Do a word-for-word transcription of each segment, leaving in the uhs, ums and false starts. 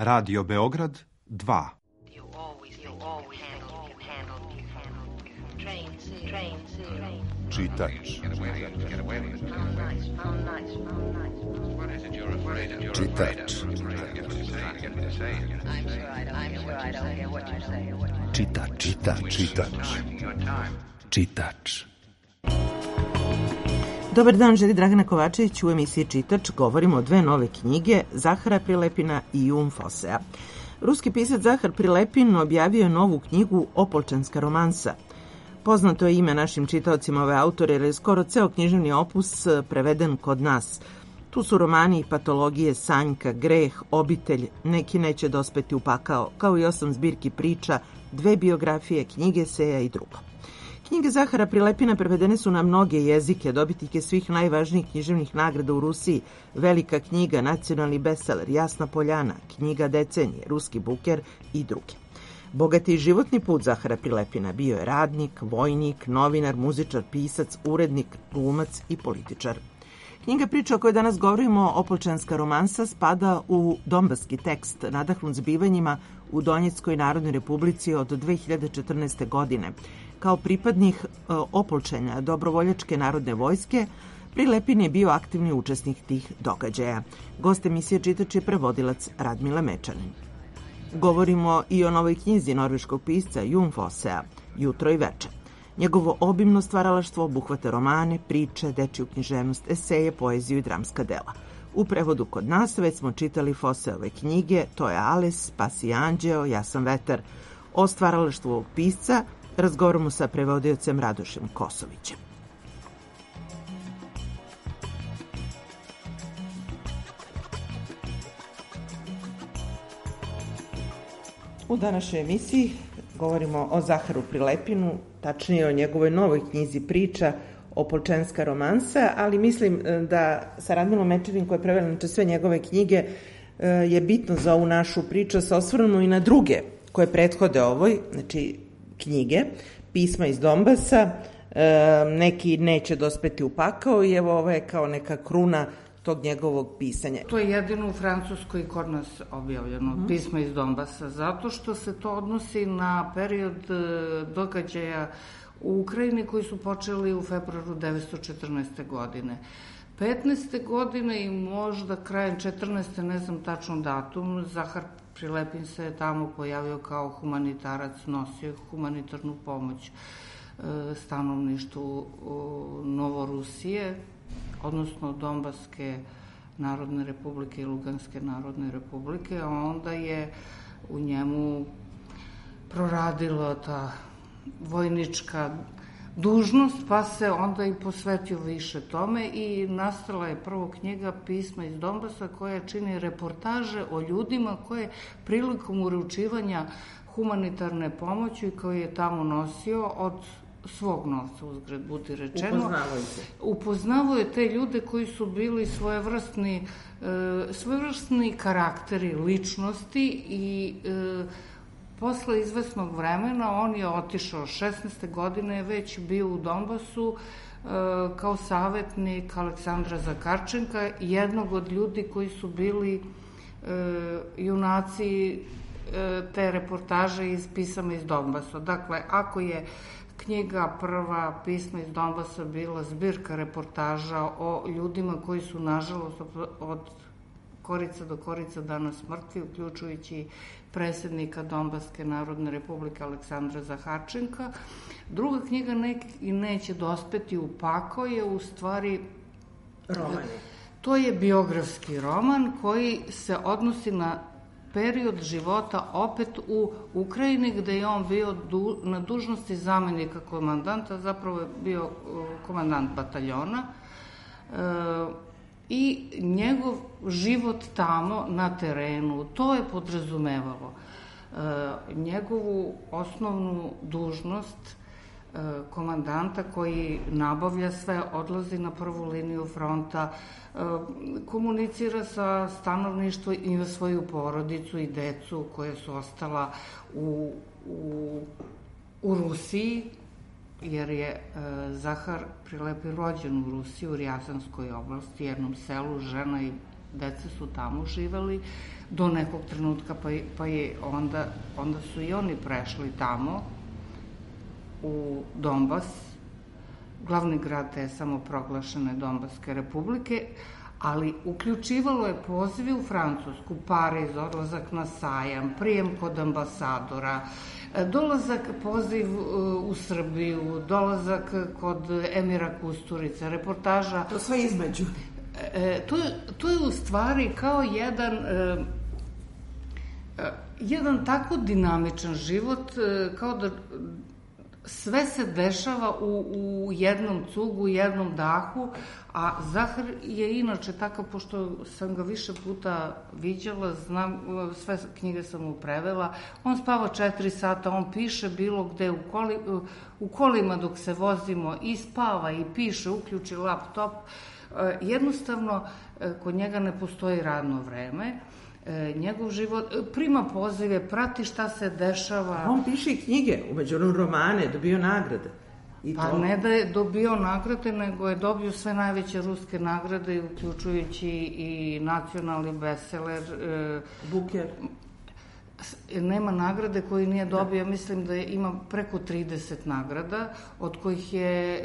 Radio Beograd dva. Čitač. Čitač. Čitač. Čitač. Čitač. Čitač. Dobar dan, želi Dragana Kovačević. U emisiji Čitač govorimo o dve nove knjige, Zahara Prilepina i Jun Fosea. Ruski pisac Zahar Prilepin objavio je novu knjigu Opolčanska romansa. Poznato je ime našim čitaocima ove autore jer je skoro ceo književni opus preveden kod nas. Tu su romani i patologije, Sanjka, Greh, Obitelj, Neki neće dospeti u pakao, kao i osam zbirki priča, dve biografije, knjige Seja i drugo. Knjige Zahara Prilepina prevedene su na mnoge jezike, dobitnike svih najvažnijih književnih nagrada u Rusiji, Velika knjiga, nacionalni bestseller, Jasna Poljana, Knjiga decenije, Ruski buker i druge. Bogati životni put Zahara Prilepina bio je radnik, vojnik, novinar, muzičar, pisac, urednik, glumac i političar. Knjiga priča o kojoj danas govorimo, Opolčanska romansa, spada u donbaski tekst nadahnut zbivanjima u Donjeckoj Narodnoj Republici od dve hiljade četrnaeste. godine. Kao pripadnik Opolčanja Dobrovoljačke narodne vojske, Prilepin je bio aktivni učesnik tih događaja. Gost emisije Čitač je prevodilac Radmila Mečanin. Govorimo i o novoj knjizi norveškog pisca Jun Fosea, Jutro i veče. Njegovo obimno stvaralaštvo obuhvata romane, priče, dečiju književnost, eseje, poeziju i dramska dela. U prevodu kod nas već smo čitali Foseove knjige To je Ales, Spasi anđeo, Ja sam vetar. O stvaralaštvu ovog pisca razgovaramo sa prevodiocem Radošem Kosovićem. U današnjoj emisiji govorimo o Zaharu Prilepinu, tačnije o njegovoj novoj knjizi priča Opolčanska romansa, ali mislim da sa Radmilom Mečanin, koja je prevela znači sve njegove knjige, je bitno za ovu našu priču sa osvrnemo i na druge koje prethode ovoj, znači knjige, Pisma iz Donbasa, Neki neće dospeti u pakao i evo ovo je kao neka kruna tog njegovog pisanja. To je jedino u Francuskoj kod nas objavljeno, mm. Pisma iz Donbasa, zato što se to odnosi na period događaja u Ukrajini koji su počeli u februaru devetsto četrnaeste. godine. petnaeste. godine i možda krajem četrnaeste. ne znam tačno datum, Zahar Prilepin se je tamo pojavio kao humanitarac, nosio humanitarnu pomoć stanovništvu Novorusije, odnosno Donbaske narodne republike i Luganske narodne republike, a onda je u njemu proradila ta vojnička dužnost, pa se onda i posvetio više tome i nastala je prvo knjiga Pisma iz Donbasa koja čini reportaže o ljudima koje prilikom uručivanja humanitarne pomoći koju je tamo nosio od svog novca, uzgred budi rečeno. Upoznavaju se. Upoznavaju te ljude koji su bili svojevrsni, e, svojevrsni karakteri, ličnosti i e, posle izvesnog vremena on je otišao, šesnaeste. godine je već bio u Donbasu e, kao savetnik Aleksandra Zakarčenka, jednog od ljudi koji su bili e, junaci e, te reportaže iz Pisama iz Donbasa. Dakle, ako je knjiga prva Pisma iz Donbasa bila zbirka reportaža o ljudima koji su, nažalost, od korica do korica danas mrtvi, uključujući predsjednika Donbaske narodne republike Aleksandra Zaharčenka. Druga knjiga Neki neće dospeti u pakao je u stvari roman. To je biografski roman koji se odnosi na period života opet u Ukrajini, gde je on bio du, na dužnosti zamenika komandanta, zapravo je bio komandant bataljona, e, i njegov život tamo na terenu, to je podrazumevalo e, njegovu osnovnu dužnost e, komandanta koji nabavlja sve, odlazi na prvu liniju fronta, e, komunicira sa stanovništvom i svoju porodicu i decu koja su ostala u, u, u Rusiji, jer je e, Zahar Prilepin rođen u Rusiji, u Rjazanskoj oblasti, jednom selu, žena i deca su tamo živeli do nekog trenutka, pa je, pa je onda, onda su i oni prešli tamo u Donbas, glavni grad te samoproglašene Donbaske republike, ali uključivalo je pozive u Francusku, Pariz, odlazak na sajam, prijem kod ambasadora, dolazak, poziv u Srbiju, dolazak kod Emira Kusturice, reportaža. To sve između. E, to, je, to je u stvari kao jedan, e, jedan tako dinamičan život, e, kao da sve se dešava u, u jednom cugu, u jednom dahu, a Zahar je inače takav, pošto sam ga više puta viđala, znam, sve knjige sam mu prevela, on spava četiri sata, on piše bilo gde, u, koli, u kolima dok se vozimo, i spava i piše, uključi laptop. Jednostavno, kod njega ne postoji radno vreme, njegov život, prima pozive, prati šta se dešava. On piše i knjige, umeđu romane, dobio nagrade. I pa to... ne da je dobio nagrade, nego je dobio sve najveće ruske nagrade, uključujući i nacionalni bestseller. Buker. Nema nagrade koju nije dobio, mislim da ima preko trideset nagrada, od kojih je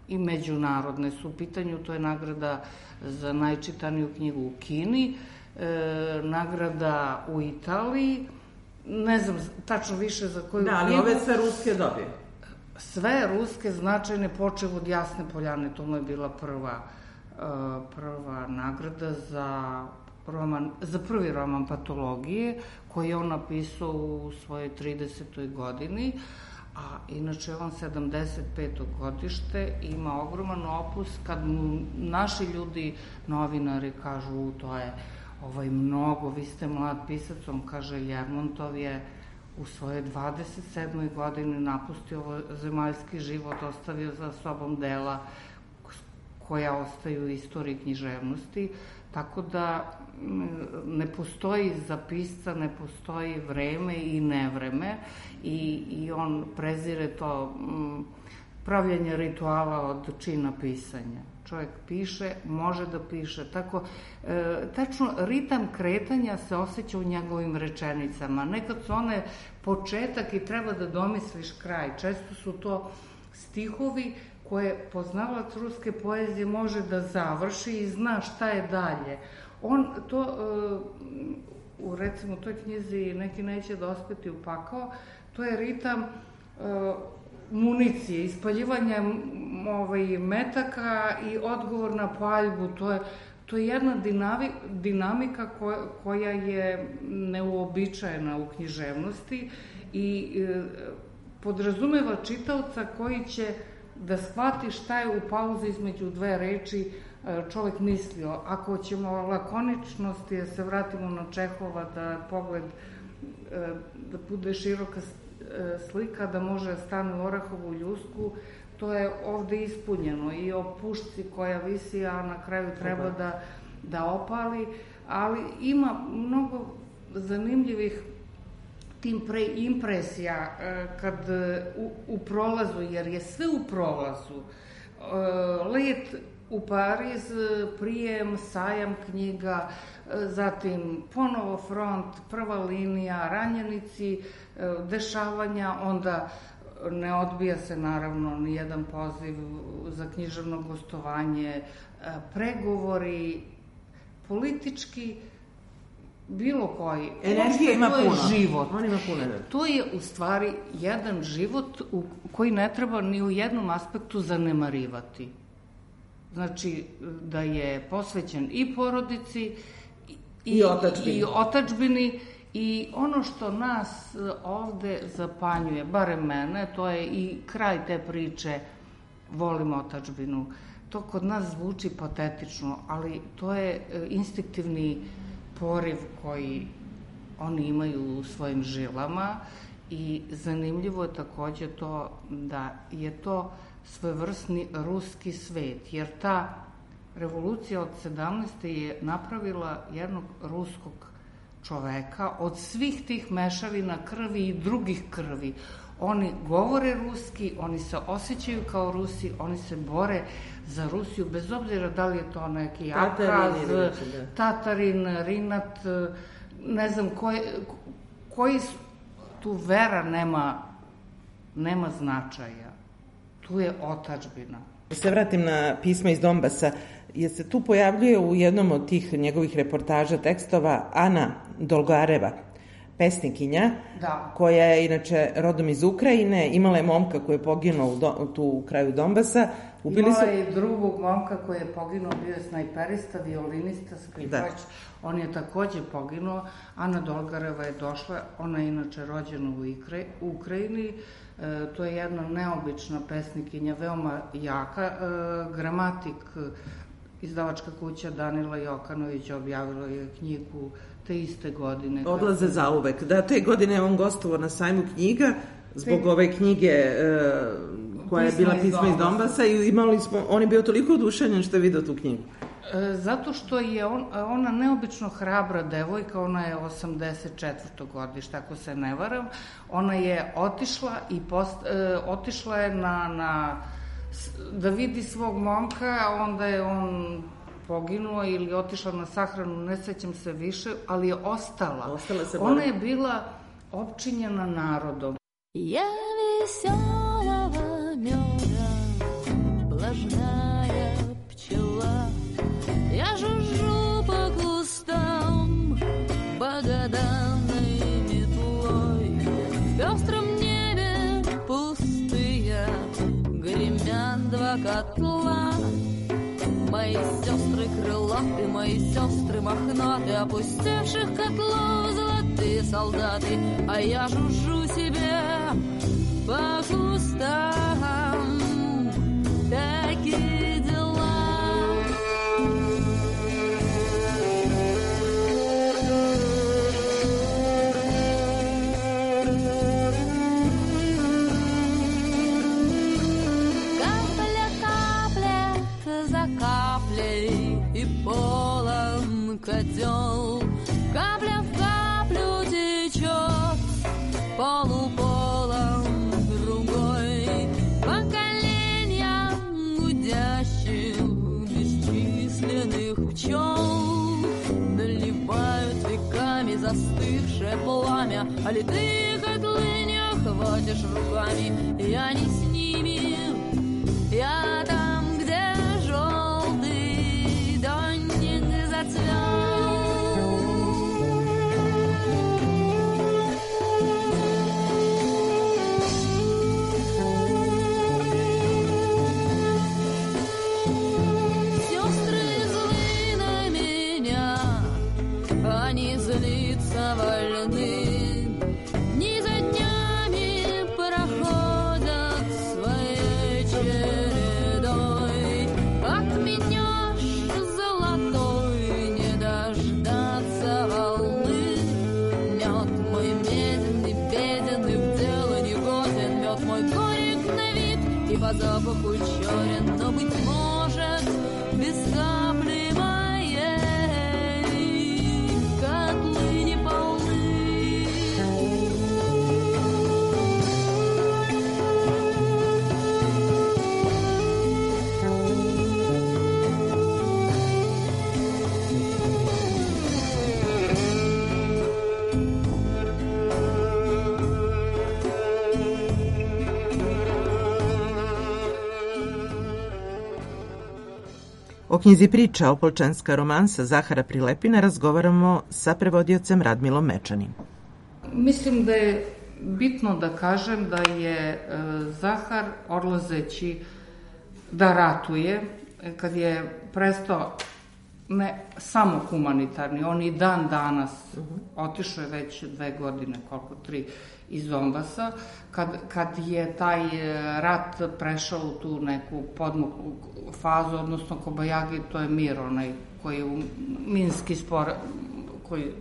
i međunarodne su u pitanju, to je nagrada za najčitaniju knjigu u Kini, e, nagrada u Italiji, ne znam tačno više za koju knjigu. Da, ali ove sve ruske dobije. Sve ruske značajne, počev od Jasne Poljane, to mu je bila prva, uh, prva nagrada za, roman, za prvi roman Patologije, koji je on napisao u svojoj tridesetoj godini, a inače on sedamdeset peto godište, ima ogroman opus. Kad mu naši ljudi, novinari, kažu to je ovaj, mnogo, vi ste mlad pisac, on kaže Ljermontov je u svojoj dvadeset sedmoj godini napustio ovo zemaljski život, ostavio za sobom dela koja ostaju u istoriji književnosti, tako da ne postoji za pisca, ne postoji vreme i nevreme, i, i on prezire to m, pravljenje rituala od čina pisanja. Čovjek piše, može da piše. Tako, e, tačno, ritam kretanja se osjeća u njegovim rečenicama. Nekad su one početak i treba da domisliš kraj. Često su to stihovi koje poznavalac ruske poezije može da završi i zna šta je dalje. On to, e, u recimo toj knjizi Neki neće dospeti u pakao, to je ritam e, municije, ispaljivanja ovaj, metaka i odgovor na paljbu. To je, to je jedna dinami, dinamika koja, koja je neuobičajena u književnosti i e, podrazumeva čitaoca koji će da shvati šta je u pauzi između dve reči e, čovek mislio. Ako ćemo lakoničnosti, da se vratimo na Čehova, da pogled, e, da bude široka slika, da može stane u orahovu ljusku, to je ovde ispunjeno, i o pušci koja visi, a na kraju treba da, da opali, ali ima mnogo zanimljivih tim pre impresija kad u, u prolazu, jer je sve u prolazu. Let u Pariz, prijem, sajam knjiga, zatim ponovo front, prva linija, ranjenici, dešavanja, onda ne odbija se naravno ni jedan poziv za književno gostovanje, pregovori, politički, bilo koji. Energija ima puno. To je život. On ima puno energije. To je u stvari jedan život u koji ne treba ni u jednom aspektu zanemarivati. Znači, da je posvećen i porodici, i, I otačbini. i otačbini, i ono što nas ovde zapanjuje, barem mene, to je i kraj te priče, volim otačbinu. To kod nas zvuči patetično, ali to je instinktivni poriv koji oni imaju u svojim žilama, i zanimljivo je takođe to da je to svevrsni ruski svet, jer ta revolucija od sedamnaeste je napravila jednog ruskog čoveka od svih tih mešavina krvi i drugih krvi. Oni govore ruski, oni se osjećaju kao Rusi, oni se bore za Rusiju, bez obzira da li je to neki Abhaz, Tatarin, Rinat, ne znam koji, koji tu vera nema, nema značaja. Tu je otadžbina. Se vratim na pisma iz Donbasa. Je se tu pojavljuje u jednom od tih njegovih reportaža, tekstova, Ana Dolgareva, pesnikinja, da. Koja je inače rodom iz Ukrajine, imala je momka koji je poginuo u do, tu u kraju Donbasa. Ubili imala je su... i drugog momka koji je poginuo, bio je snajperista, violinista, skripač, on je takođe poginuo. Ana Dolgareva je došla, ona je inače rođena u, Ikre, u Ukrajini, e, to je jedna neobična pesnikinja, veoma jaka, e, gramatik, izdavačka kuća Danila Jokanović objavila je knjigu te iste godine. Odlaze kako... zauvek. Da, te godine on gostovao na sajmu knjiga zbog te... ove knjige e, koja je bila Pisma iz Donbasa i imali smo, on je bio toliko oduševljen što je video tu knjigu. E, zato što je on, ona neobično hrabra devojka, ona je osamdeset četvrto godište, ako se ne varam, ona je otišla i post, e, otišla je na, na da vidi svog momka, onda je on poginuo ili otišla na sahranu, ne sećam se više, ali je ostala. Ostala se ona je bila opčinjena narodom. Ja веселого меда, влажная пчела, я жужжу по кустам богоданной метлой. В пестром небе пустые гремят два котла. Мои сестры крылаты, мои сестры мохнаты, опустевших котлов золотые солдаты, а я жужжу себе по кустам. Такие дела. Каплей и полон котел, капля в каплю течет, полуполом другой, поколения гудящих бесчисленных пчел наливают веками застывшее пламя, а литые котлы не охватишь руками. Я не с ними, я там, где желтый донник зацвел. Сестры злы на меня, они злиться вольны. Дни за днями проходят своей чередой. Отменешь золотой, не дождаться волны. Мед мой меден и беден, и в дело не годен. Мед мой горек на вид и по запаху черен, но, быть может, без капли моей котлы не полны. O knjizi priča Opolčanska romansa Zahara Prilepina razgovaramo sa prevodiocem Radmilom Mečanim. Mislim da je bitno da kažem da je Zahar, odlazeći da ratuje, kad je prestao ne samo humanitarni, on i dan danas, otišao je već dve godine, koliko, tri, iz Donbasa, kad, kad je taj rat prešao u tu neku podmuklu fazu, odnosno Kobajagi, to je mir, onaj koji u minski spor, koji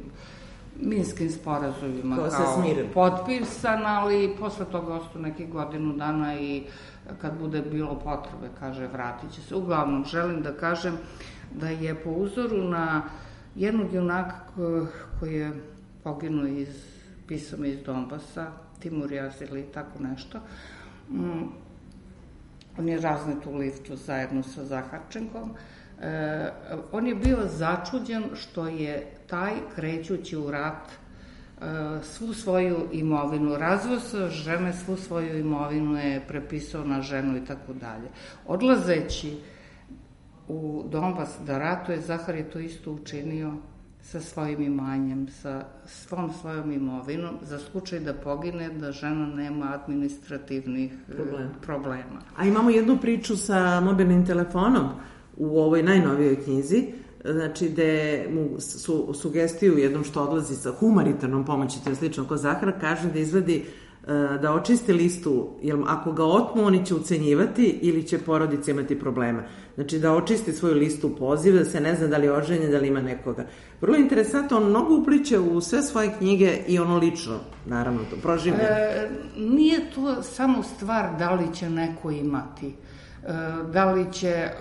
minskim sporazumima kao potpisan, ali posle toga ostao nekih godinu dana i kad bude bilo potrebe, kaže, vratit će se. Uglavnom, želim da kažem da je po uzoru na jednog junaka koji je poginuo iz pisao mi iz Donbasa, Timur Jazili i tako nešto. Mm, on je raznet u liftu zajedno sa Zaharčenkom. E, on je bio začuđen što je taj, krećući u rat, e, svu svoju imovinu razvio sa žene, svu svoju imovinu je prepisao na ženu i tako dalje. Odlazeći u Donbas da ratuje, Zahar je to isto učinio sa svojim imanjem, sa svom svojom imovinom, za slučaj da pogine, da žena nema administrativnih Problem. problema. A imamo jednu priču sa mobilnim telefonom u ovoj najnovijoj knjizi, znači gde mu su sugestiju jednom što odlazi sa humanitarnom pomoći, to je slično ko Zahar, kaže da izvedi da očisti listu, jer ako ga otmu, oni će ucenjivati ili će porodica imati problema. Znači da očisti svoju listu poziva, da se ne zna da li je oženjen, da li ima nekoga. Vrlo interesantno, on mnogo upliče u sve svoje knjige i ono lično, naravno, to proživlja. E, nije to samo stvar da li će neko imati. E, da li će... E,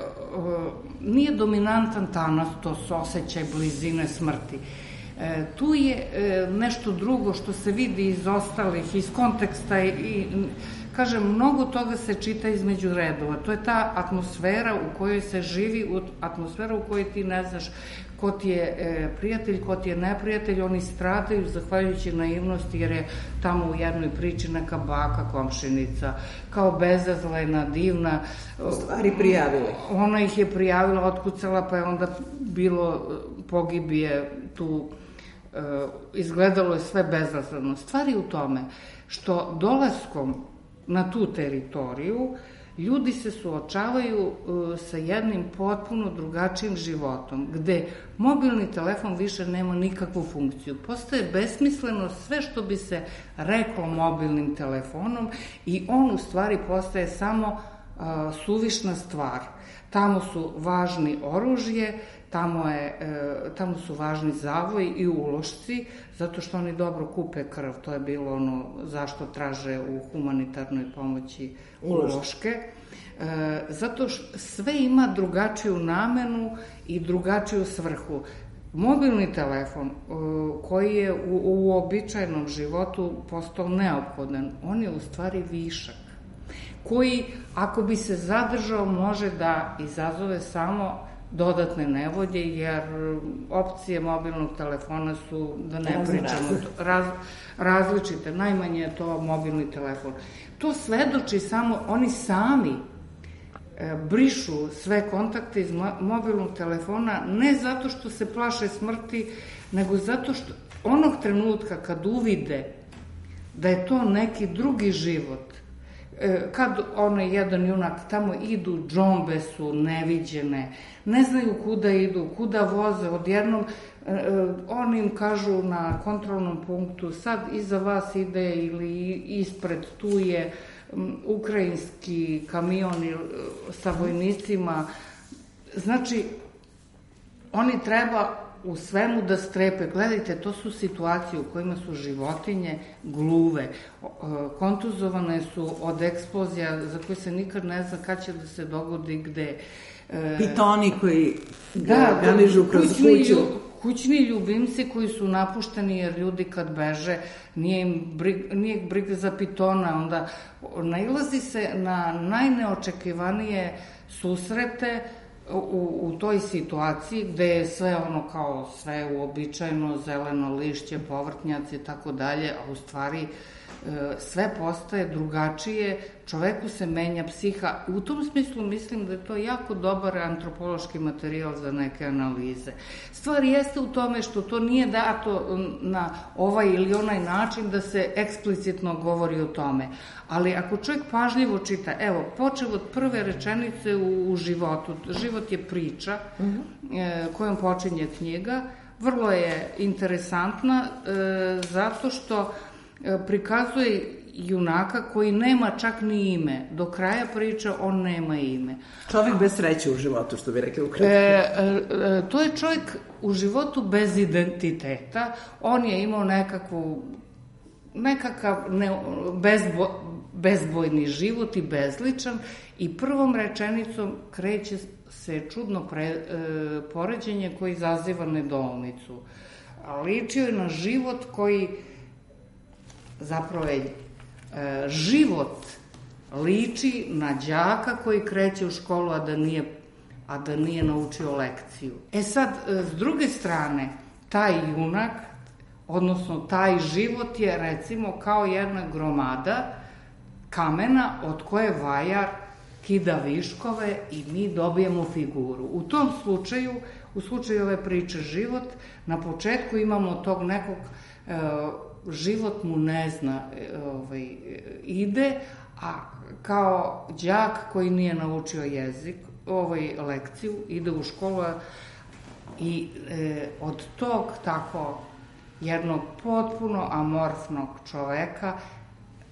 nije dominantan tanatos, osjećaj blizine smrti. E, tu je e, nešto drugo što se vidi iz ostalih, iz konteksta i, i kažem, mnogo toga se čita između redova. To je ta atmosfera u kojoj se živi, atmosfera u kojoj ti ne znaš ko ti je e, prijatelj, ko ti je neprijatelj. Oni stradaju zahvaljujući naivnosti, jer je tamo u jednoj priči neka baka, komšinica, kao bezazlena, divna. U stvari prijavila. Ona ih je prijavila, otkucala, pa je onda bilo pogibije tu. Izgledalo je sve bezazleno. Stvar je u tome što dolaskom na tu teritoriju ljudi se suočavaju sa jednim potpuno drugačijim životom, gde mobilni telefon više nema nikakvu funkciju. Postaje besmisleno sve što bi se reklo mobilnim telefonom i on u stvari postaje samo a, suvišna stvar. Tamo su važni oružje, Tamo, je, tamo su važni zavoj i ulošci, zato što oni dobro kupe krv. To je bilo ono zašto traže u humanitarnoj pomoći uloške. Zato što sve ima drugačiju namenu i drugačiju svrhu. Mobilni telefon koji je u, u običajnom životu postao neophodan, on je u stvari višak, koji ako bi se zadržao može da izazove samo dodatne nevolje, jer opcije mobilnog telefona su, da ne pričamo, raz, različite. Najmanje je to mobilni telefon. To svedoči samo, oni sami e, brišu sve kontakte iz mobilnog telefona, ne zato što se plaše smrti, nego zato što onog trenutka kad uvide da je to neki drugi život, kad onaj jedan junak tamo idu, džombe su neviđene, ne znaju kuda idu, kuda voze, odjednom oni im kažu na kontrolnom punktu, sad iza vas ide ili ispred, tu je ukrajinski kamion sa vojnicima. Znači, oni treba u svemu da strepe. Gledajte, to su situacije u kojima su životinje gluve, kontuzovane su od eksplozija za koje se nikad ne zna kad će da se dogodi gde. Pitoni koji da, gamižu kroz kuću. Kućni ljubimci koji su napušteni, jer ljudi kad beže nije im briga, nije briga za pitona, onda nailazi se na najneočekivanije susrete U, u toj situaciji gde je sve ono kao sve uobičajeno, zeleno lišće, povrtnjaci i tako dalje, a u stvari sve postaje drugačije, čoveku se menja psiha. U tom smislu mislim da je to jako dobar antropološki materijal za neke analize. Stvar jeste u tome što to nije dato na ovaj ili onaj način da se eksplicitno govori o tome. Ali ako čovjek pažljivo čita, evo, počev od prve rečenice u, u životu, život je priča mm-hmm. e, kojom počinje knjiga, vrlo je interesantna e, zato što prikazuje junaka koji nema čak ni ime. Do kraja priče on nema ime. Čovjek bez sreće u životu, što bi rekli ukratko. E, e, to je čovjek u životu bez identiteta. On je imao nekakvu nekakav ne, bezbo, bezbojni život i bezličan i prvom rečenicom kreće se čudno pre, e, poređenje koji izaziva nedoumicu. Ličio je na život koji zapravo je e, život liči na đaka koji kreće u školu, a da nije, a da nije naučio lekciju. E sad, s druge strane, taj junak, odnosno taj život je recimo kao jedna gromada kamena od koje vajar kida viškove i mi dobijemo figuru. U tom slučaju, u slučaju ove priče život, na početku imamo tog nekog, e, život mu ne zna, e, ovaj, ide, a kao đak koji nije naučio jezik, ovaj, lekciju, ide u školu i e, od tog tako jednog potpuno amorfnog čoveka,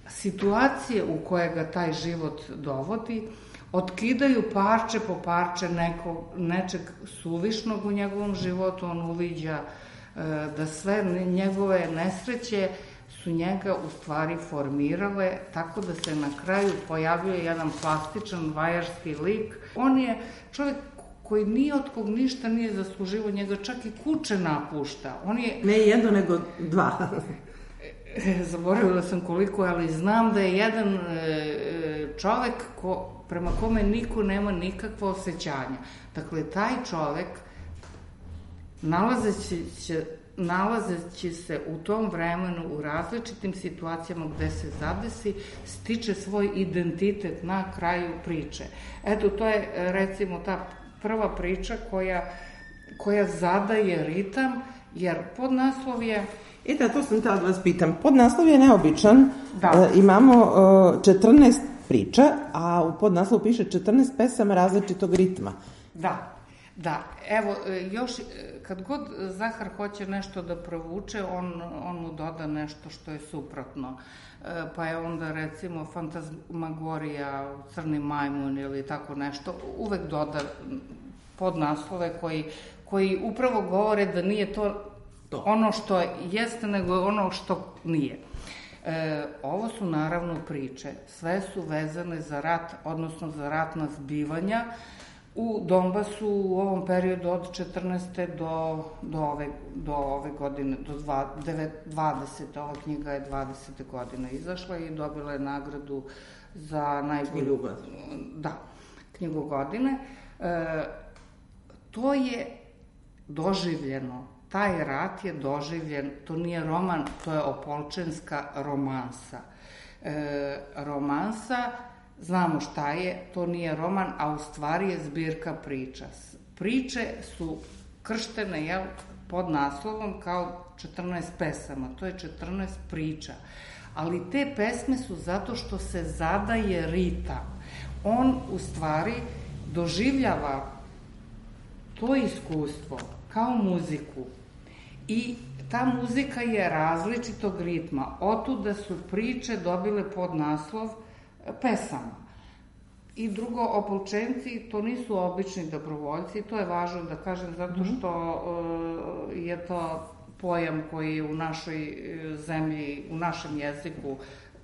situacije u koje ga taj život dovodi, otkidaju parče po parče nekog, nečeg suvišnog u njegovom životu. On uviđa e, da sve njegove nesreće su njega u stvari formirale, tako da se na kraju pojavljuje jedan plastičan vajarski lik. On je čovjek koji nije od kog ništa nije zasluživo, njega čak i kuće napušta. On je... Ne jedno, nego dva. Zaboravila sam koliko, ali znam da je jedan čovek ko, prema kome niko nema nikakva osjećanja. Dakle, taj čovek, nalazeći se, nalazeći se u tom vremenu u različitim situacijama gde se zadesi, stiče svoj identitet na kraju priče. Eto, to je recimo ta prva priča koja, koja zadaje ritam, jer podnaslov je... E da, to sam htjela da vas pitam. Podnaslov je neobičan. Da. E, imamo e, četrnaest priča, a u podnaslovu piše četrnaest pesama različitog ritma. Da, da. Evo, još kad god Zahar hoće nešto da provuče, on, on mu doda nešto što je suprotno. E, pa je onda recimo Fantasmagorija, Crni majmun ili tako nešto. Uvek doda podnaslove koji, koji upravo govore da nije to To. ono što jeste, nego ono što nije. E, ovo su naravno priče, sve su vezane za rat, odnosno za ratna zbivanja u Donbasu u ovom periodu od četrnaeste do, do, ove, do ove godine, do dvadesete. Ova knjiga je dvadesete godine izašla i dobila je nagradu za najbolju... Da, knjigu godine. E, to je doživljeno. Taj rat je doživljen, to nije roman, to je opolčenska romansa. E, romansa, znamo šta je, to nije roman, a u stvari je zbirka priča. Priče su krštene, jel, pod naslovom kao četrnaest pesama, to je četrnaest priča. Ali te pesme su zato što se zadaje ritam. On u stvari doživljava to iskustvo kao muziku. I ta muzika je različitog ritma. Otuda su priče dobile podnaslov pesama. I drugo, opolčenci, to nisu obični dobrovoljci, to je važno da kažem zato što uh, je to pojam koji je u našoj zemlji, u našem jeziku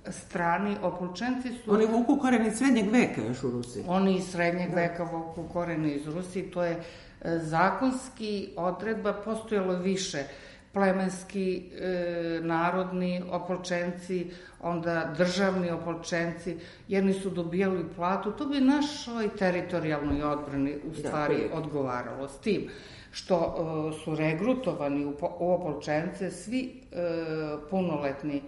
strani. Opolčenci su... Oni vuku korene iz srednjeg veka još u Rusiji. Oni iz srednjeg veka vuku korene iz Rusiji, to je zakonski odredba, postojalo više plemenski, e, narodni opolčenci, onda državni opolčenci, jedni su dobijali platu, to bi našoj teritorijalnoj odbrani u stvari da, odgovaralo. S tim što e, su regrutovani u, u opolčence svi e, punoletni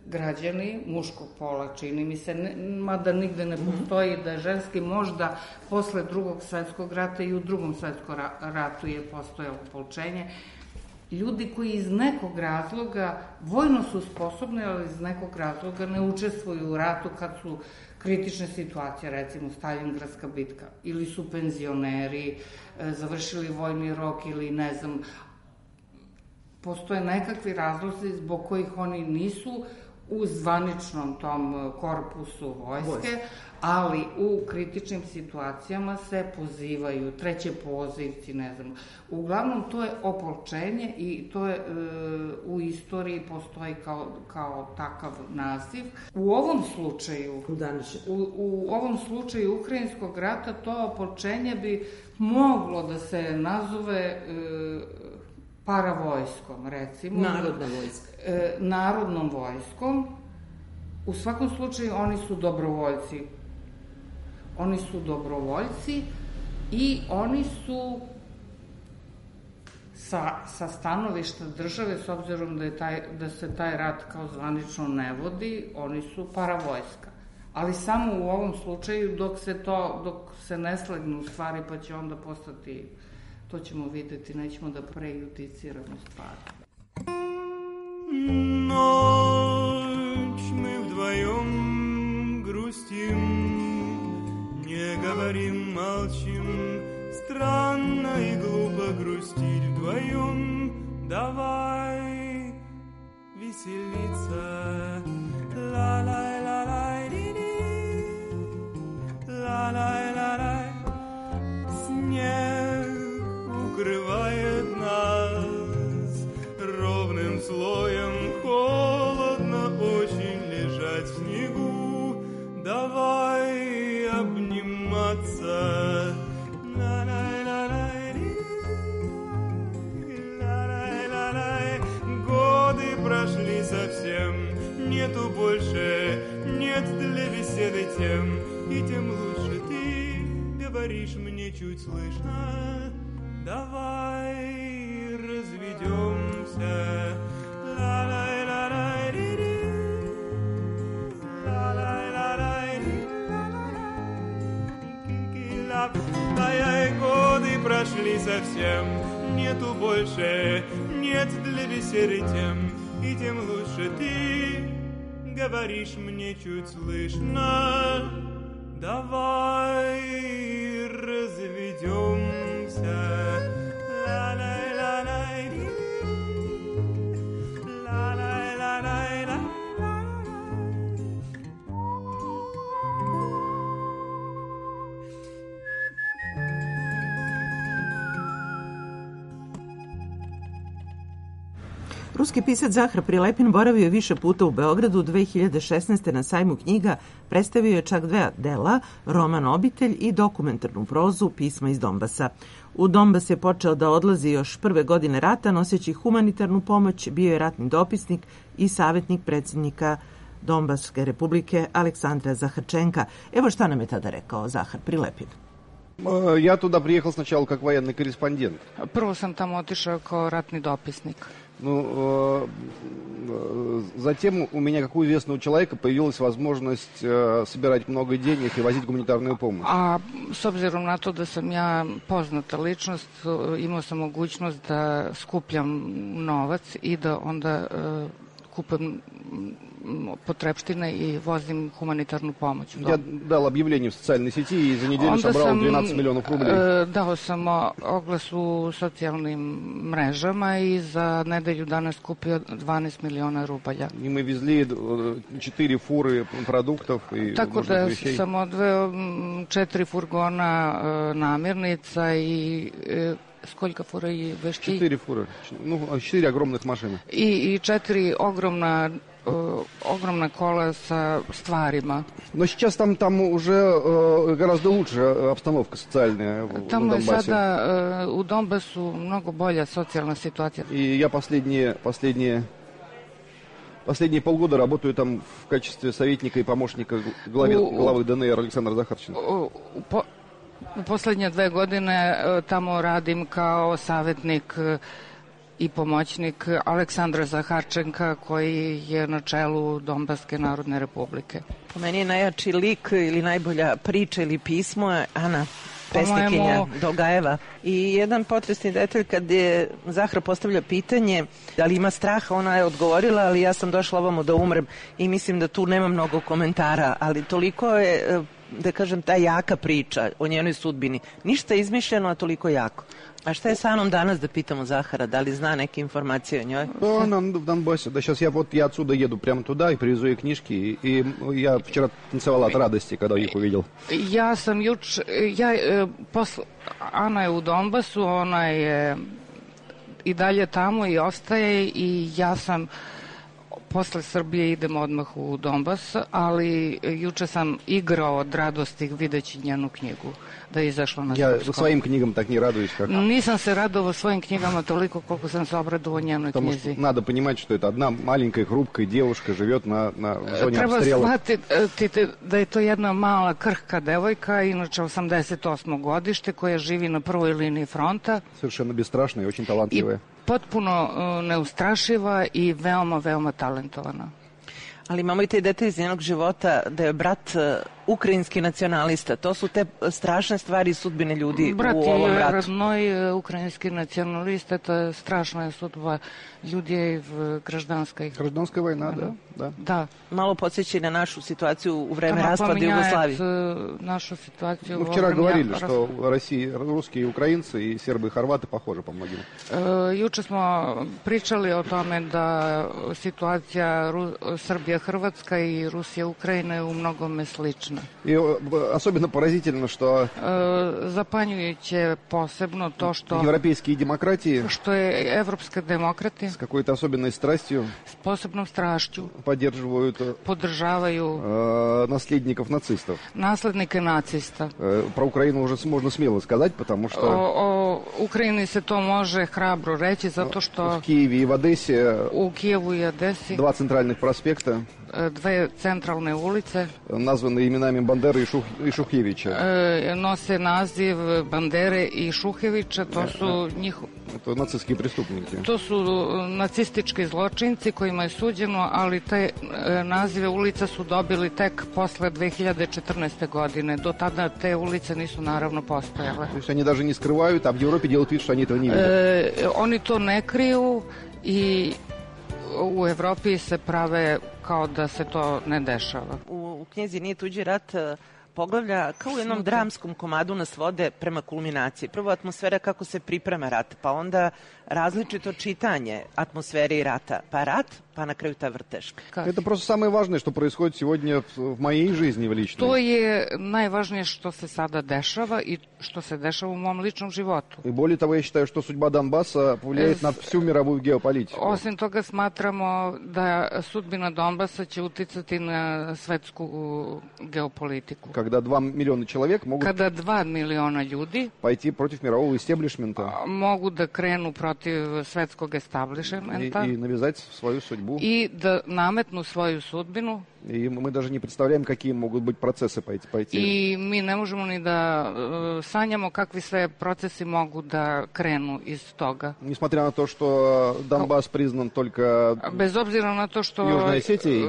građani muškog pola, čini mi se, ne, mada nigde ne postoji da je ženski, možda posle drugog svetskog rata i u drugom svetskom ratu je postojalo opolčenje. Ljudi koji iz nekog razloga, vojno su sposobni, ali iz nekog razloga ne učestvuju u ratu kad su kritične situacije, recimo Staljingradska bitka, ili su penzioneri, završili vojni rok ili ne znam, postoje nekakvi razlozi zbog kojih oni nisu u zvaničnom tom korpusu vojske, ali u kritičnim situacijama se pozivaju, treće pozivci, ne znam. Uglavnom, to je opolčenje i to je e, u istoriji postoji kao, kao takav naziv. U ovom slučaju, u, u ovom slučaju Ukrajinskog rata, to opolčenje bi moglo da se nazove e, paravojskom, recimo. Narodna vojska. E, narodnom vojskom, U svakom slučaju oni su dobrovoljci. Oni su dobrovoljci i oni su sa, sa stanovišta države, s obzirom da, je taj, da se taj rat kao zvanično ne vodi, oni su paravojska. Ali samo u ovom slučaju dok se to, dok se ne slegnu stvari, pa će onda postati, to ćemo videti, nećemo da prejudiciramo stvari. Ночь мы вдвоем грустим, не говорим, молчим. Странно и глупо грустить вдвоем. Давай веселиться. Ла-лай-ла-лай-ди-ди, ла-лай-ла-лай. Снег укрывает нас ровным слоем, холодно очень лежать в снегу. Давай обниматься. Годы прошли совсем, нету больше, нет для беседы тем, и тем лучше ты говоришь мне чуть слышно. Давай разведемся. Ла-лай-ла-лай-ди-ди, ла-лай-ла-лай-ди-ди-ла-лай. Годы прошли совсем, нету больше, нет для беседы тем, и тем лучше ты говоришь мне чуть слышно. Давай разведемся. Ruski pisac Zahar Prilepin boravio je više puta u Beogradu. dve hiljade šesnaeste. na sajmu knjiga predstavio je čak dva dela, roman Obitelj i dokumentarnu prozu Pisma iz Donbasa. U Donbas je počeo da odlazi još prve godine rata, noseći humanitarnu pomoć, bio je ratni dopisnik i savjetnik predsjednika Donbaske republike Aleksandra Zaharčenka. Evo šta nam je tada rekao Zahar Prilepin. Я туда приехал сначала как военный корреспондент. Prvo sam tamo otišao kao ratni dopisnik. Ну, э, затем у меня, как у известного человека, появилась возможность э, собирать много денег и возить гуманитарную помощь. A s obzirom na to da sam ja poznata ličnost, imao sam mogućnost da skupljam novac i da onda uh, kupam potrepštine i vozim humanitarnu pomoć. Я дал объявление в социальной сети и за неделю Onda собрал sam, двенадцать миллионов рублей. e, dao sam oglas u socijalnim mrežama i za nedelju dana skupio dvanaest miliona rubalja. И мы везли четыре фуры продуктов и Tako нужных da вещей. sam odveo mm, četiri furgona e, namirnica i e, skoljka fura i vešti? Четыре фуры. Ну, четыре огромных машины. I, i četiri ogromna Uh, ogromna kola sa stvarima. Но сейчас там, там уже э, гораздо лучше обстановка социальная в, Tamo на je Донбассе. sada uh, u Donbasu mnogo bolja socijalna situacija. И я последние, последние, последние полгода работаю там в качестве советника и помощника главе, У- главы ДНР Александра Захарченко. U, u, po, u poslednje dve godine uh, tamo radim kao savjetnik uh, i pomoćnik Aleksandra Zaharčenka koji je na čelu Donbaske narodne republike. Po meni je najjači lik ili najbolja priča ili pismo je Ana Po Pesnikinja mojemu- Dogajeva. I jedan potresni detalj kad je Zahra postavlja pitanje da li ima straha, ona je odgovorila, ali ja sam došla ovamo da umrem i mislim da tu nema mnogo komentara, ali toliko je, da kažem, ta jaka priča o njenoj sudbini. Ništa izmišljeno, a toliko jako. A šta je sa Anom danas, da pitamo Zahara, da ли зна neke informacije o njoj? Да, она в Донбассе. Да, сейчас я вот я отсюда еду прямо туда и привезу ей книжки. И, и я вчера танцевал от радости, когда их увидел. Ja sam juč, ja, e, posl, Ana je u Donbasu, ona je i dalje tamo i ostaje i ja sam posle Srbije idemo odmah u Donbas, ali juče sam igrao od radosti videći njenu knjigu da je izašla na Я srpskom. своим книгам так не радуюсь, как... Nisam se radovao svojim knjigama toliko koliko sam se obradovao njenoj Потому knjizi. что надо понимать, что это одна маленькая хрупкая девушка живет на, на в зоне Treba обстрела. shvatiti da je to jedna mala krhka devojka, inače osamdeset osmo godište, koja živi na prvoj liniji fronta. Совершенно бесстрашная и очень I талантливая. potpuno uh, neustrašiva i veoma, veoma talentovana. Ali imamo i te detalje iz njenog života da je brat uh, ukrajinski nacionalista. To su te strašne stvari i sudbine ljudi Brat u ovom je ratu. родной украинский националист, это страшная судьба людей в гражданской. Гражданская война, да, да. Да. Malo podsjeća i na našu situaciju u vreme Она raspada Jugoslavije. поменяет э, нашу ситуацию. Мы во вчера время говорили, рас- что Россия, русские и украинцы, и сербы, и хорваты похожи по многим. Э, Juče smo pričali o tome da situacija Ru- Srbija-Hrvatska i Rusija-Ukrajina je u mnogome slična. И э, особенно поразительно, что E, zapanjujuće posebno to što европейские демократии što je evropske demokrate с какой-то особенной страстью s posebnom strašću поддерживают э, podržavaju э, наследников нацистов. naslednike nacista. Э, Про Украину уже с- можно смело сказать, потому O, что o Ukrajini se to može hrabro reći zato što в Киеве и в Одессе u Kijevu i Odesi два центральных проспекта e, dve centralne ulice названы именами Бандеры и, Шух, и Шухевича. e, nose naziv Bandere i Šuhevića, to su njih, Это нацистские преступники. to su nacistički zločinci kojima je suđeno, ali te e, nazive ulica su dobili tek posle dve hiljade četrnaeste. godine. Do tada te ulice nisu naravno postojale. То есть они даже не скрывают, а в Европе делают вид, что они этого не видят. E, oni to ne kriju i u Evropi se prave kao da se to ne dešava. U, u knjizi Nije tuđi rat uh, poglavlja kao u jednom dramskom komadu nas vode prema kulminaciji. Prvo atmosfera kako se priprema rat, pa onda različito čitanje atmosfere i rata, pa rat, pa na kraju ta vrteška. Это просто самое важное, что происходит сегодня в, в моей жизни в личной. To je najvažnije što se sada dešava i što se dešava u mom ličnom životu. И более того, я считаю, что судьба Донбасса повлияет Э, на всю мировую геополитику. Osim toga smatramo da sudbina Donbasa će uticati na svetsku geopolitiku. Когда два миллиона человек могут Kada dva miliona ljudi пойти против мирового истеблишмента mogu da krenu protiv svetskog и, establishmenta и навязать свою судьбу. i da nametnu svoju sudbinu И мы даже не представляем, какие могут быть процессы пойти. пойти. i mi ne možemo ni da e, sanjamo kakvi sve procesi mogu da krenu iz toga. Несмотря на то, что Донбасс признан только... Bez obzira na to što Južnoj Osetiji?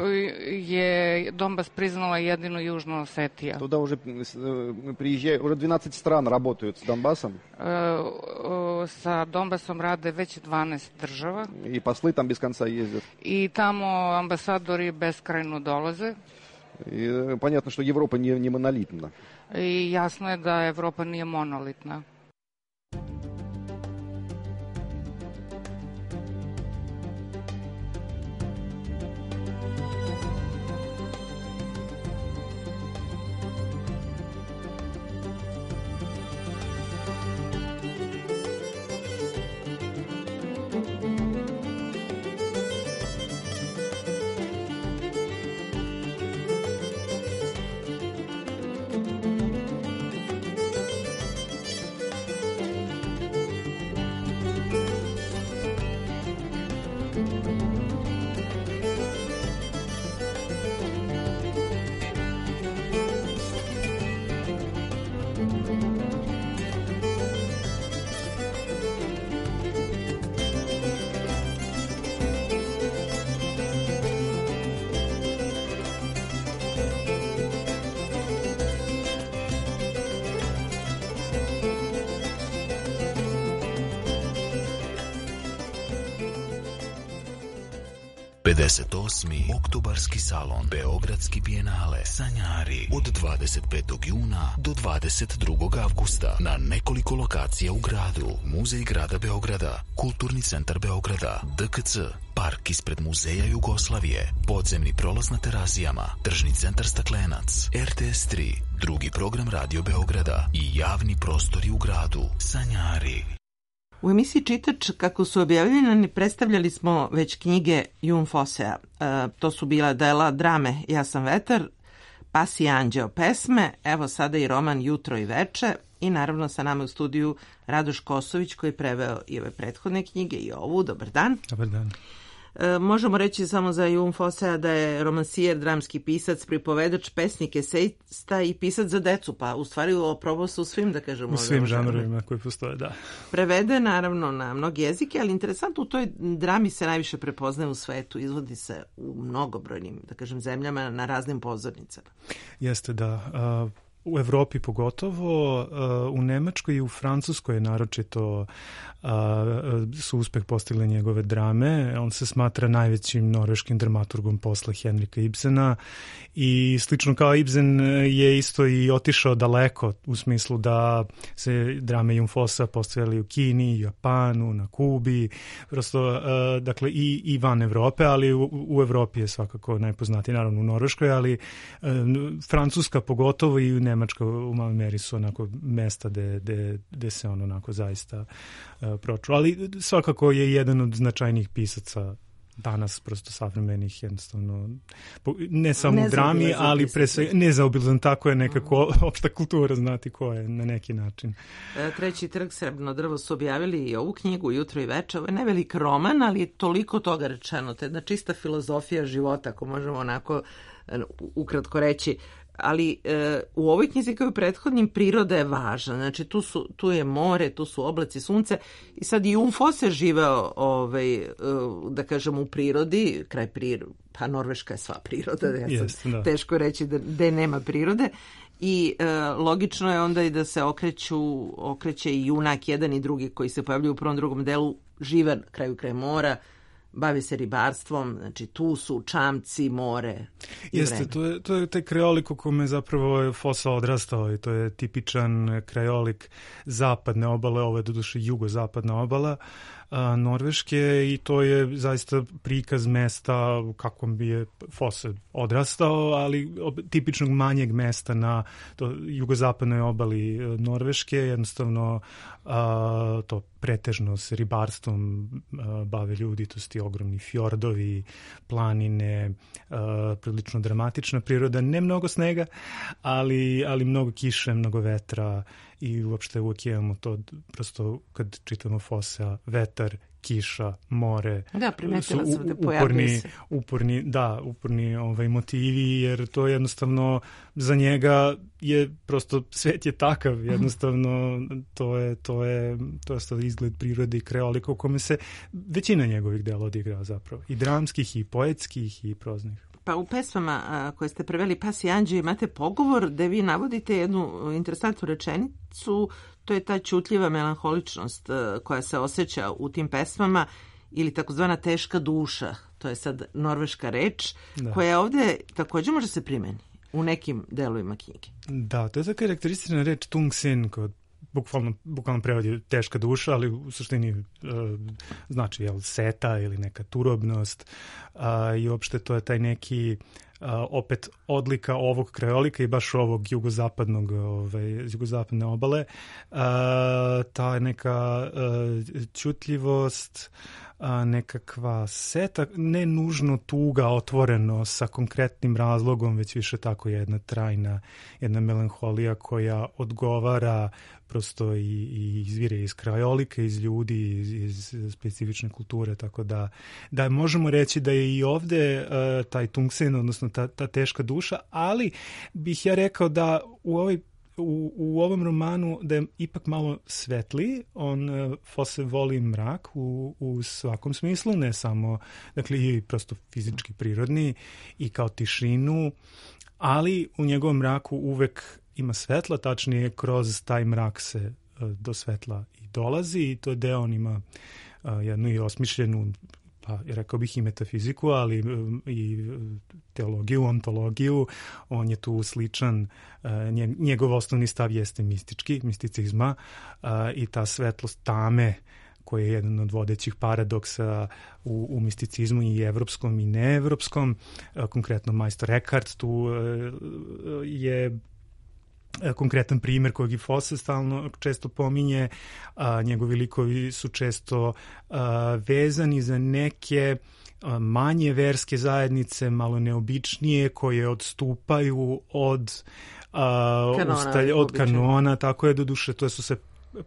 je Donbas priznala jedino Južna Osetija. Туда уже э, приезжают, уже двенадцать стран работают с Донбассом, E, o, sa Donbasom rade već dvanaest država и послы там без конца ездят. i tamo ambasadori beskrajno dolaze И э, понятно, что Европа не, не монолитна. i jasno je da Evropa nije monolitna. pedeset osmi oktobarski salon Beogradski bijenale Sanjari od dvadeset petog juna do dvadeset drugog avgusta na nekoliko lokacija u gradu. Muzej grada Beograda, Kulturni centar Beograda, D K C, park ispred Muzeja Jugoslavije, podzemni prolaz na Terazijama, tržni centar Staklenac, R T S tri, drugi program Radio Beograda i javni prostori u gradu. Sanjari. U emisiji Čitač, kako su objavljeni, predstavljali smo već knjige Jun Fosea. E, to su bila dela drame Ja sam vetar, Pas i anđeo pesme, evo sada i roman Jutro i veče i naravno sa nama u studiju Radoš Kosović koji je preveo i ove prethodne knjige i ovu. Dobar dan. Dobar dan. E, možemo reći samo za Jun Fosea da je romansijer, dramski pisac, pripovedač, pesnik, esejista i pisac za decu, pa u stvari oprobao se u svim, da kažemo. U svim žanrovima koji postoje, da. Prevede naravno na mnogi jezike, ali interesantno u toj drami se najviše prepoznaje u svetu, izvodi se u mnogobrojnim, da kažem, zemljama na raznim pozornicama. Jeste, da. Uh... U Evropi pogotovo, u Nemačkoj i u Francuskoj naročito su uspeh postigli njegove drame. On se smatra najvećim norveškim dramaturgom posle Henrika Ibsena i slično kao Ibsen je isto i otišao daleko u smislu da se drame Jun Fossa postavljali u Kini, Japanu, na Kubi, prosto dakle i, i van Evrope, ali u, u Evropi je svakako najpoznatiji, naravno u Norveškoj, ali Francuska pogotovo i u Nemačka u maloj meri su onako mesta gde, gde, gde se on onako zaista uh, proču. Ali svakako je jedan od značajnijih pisaca danas, prosto savremenih, jednostavno, ne samo u drami, ali pre sve, nezaobilazan, tako je nekako mm. opšta kultura znati ko je na neki način. Treći trg, Srebrno drvo su objavili i ovu knjigu Jutro i veče. Ovo je nevelik roman, ali je toliko toga rečeno. To je jedna čista filozofija života, ako možemo onako ukratko reći. Ali e, u ovoj knjizi kao i u prethodnim priroda je važna. Znači tu, su, tu je more, tu su oblaci, sunce i sad i Jun Fosse živeo ovaj, e, da kažem u prirodi, kraj prirode, pa Norveška je sva priroda, ja Jest, da. Teško reći da, da nema prirode i e, logično je onda i da se okreću, okreće i junak jedan i drugi koji se pojavljuju u prvom drugom delu, žive na kraju kraj mora, bavi se ribarstvom, znači tu su čamci, more i Jeste, vreme. to je, to je taj krajolik u kome zapravo Fossa odrastao i to je tipičan krajolik zapadne obale, ovo je doduše jugozapadna obala a, Norveške i to je zaista prikaz mesta u kakvom bi je Fosse odrastao, ali ob, tipičnog manjeg mesta na to, jugozapadnoj obali Norveške, jednostavno a, to pretežno se ribarstvom a, bave ljudi, to su ti ogromni fjordovi, planine, a, prilično dramatična priroda, ne mnogo snega, ali, ali mnogo kiše, mnogo vetra i uopšte uvijek imamo to, prosto kad čitamo Fossea, vetar, kiša, more, da, primetila su sam da pojavljuje se. Uporni, da, uporni ovaj, motivi, jer to jednostavno za njega je prosto svet je takav, jednostavno to je, to je, to je izgled prirode i krajolika u kome se većina njegovih dela odigrava zapravo, i dramskih, i poetskih, i proznih. Pa u pesmama a, koje ste preveli Pas i anđeo imate pogovor gde vi navodite jednu interesantnu rečenicu, to je ta ćutljiva melanholičnost a, koja se osjeća u tim pesmama ili takozvana teška duša, to je sad norveška reč, da. Koja ovde također može se primeni u nekim delovima knjige. Da, to je ta karakteristična reč tungsen kod bukvalno, bukvalno prevodi teška duša, ali u suštini e, znači jel, seta ili neka turobnost a, i uopšte to je taj neki a, opet odlika ovog krajolika i baš ovog jugozapadnog ovaj, jugozapadne obale, a, ta neka a, ćutljivost, a, nekakva seta, ne nužno tuga otvoreno sa konkretnim razlogom, već više tako jedna trajna, jedna melanholija koja odgovara prosto i, i izvire iz krajolika, iz ljudi, iz, iz specifične kulture, tako da, da možemo reći da je i ovde uh, taj tungsen, odnosno ta, ta teška duša, ali bih ja rekao da u ovoj U, u ovom romanu da je ipak malo svetliji, on uh, Fosse voli mrak u, u svakom smislu, ne samo, dakle i prosto fizički prirodni i kao tišinu, ali u njegovom mraku uvek ima svetla, tačnije kroz taj mrak se uh, do svetla i dolazi i to da on ima uh, jednu i osmišljenu, pa rekao bih i metafiziku, ali i teologiju, ontologiju. On je tu sličan, njegov osnovni stav jeste mistički, misticizma i ta svetlost tame koji je jedan od vodećih paradoksa u, u misticizmu i evropskom i neevropskom. Konkretno majstor Eckhart tu je konkretan primjer kojeg i Fosse stalno često pominje. A, njegovi likovi su često a, vezani za neke a, manje verske zajednice, malo neobičnije, koje odstupaju od, a, kanona, ustalj, od kanona, tako je, do duše, to su se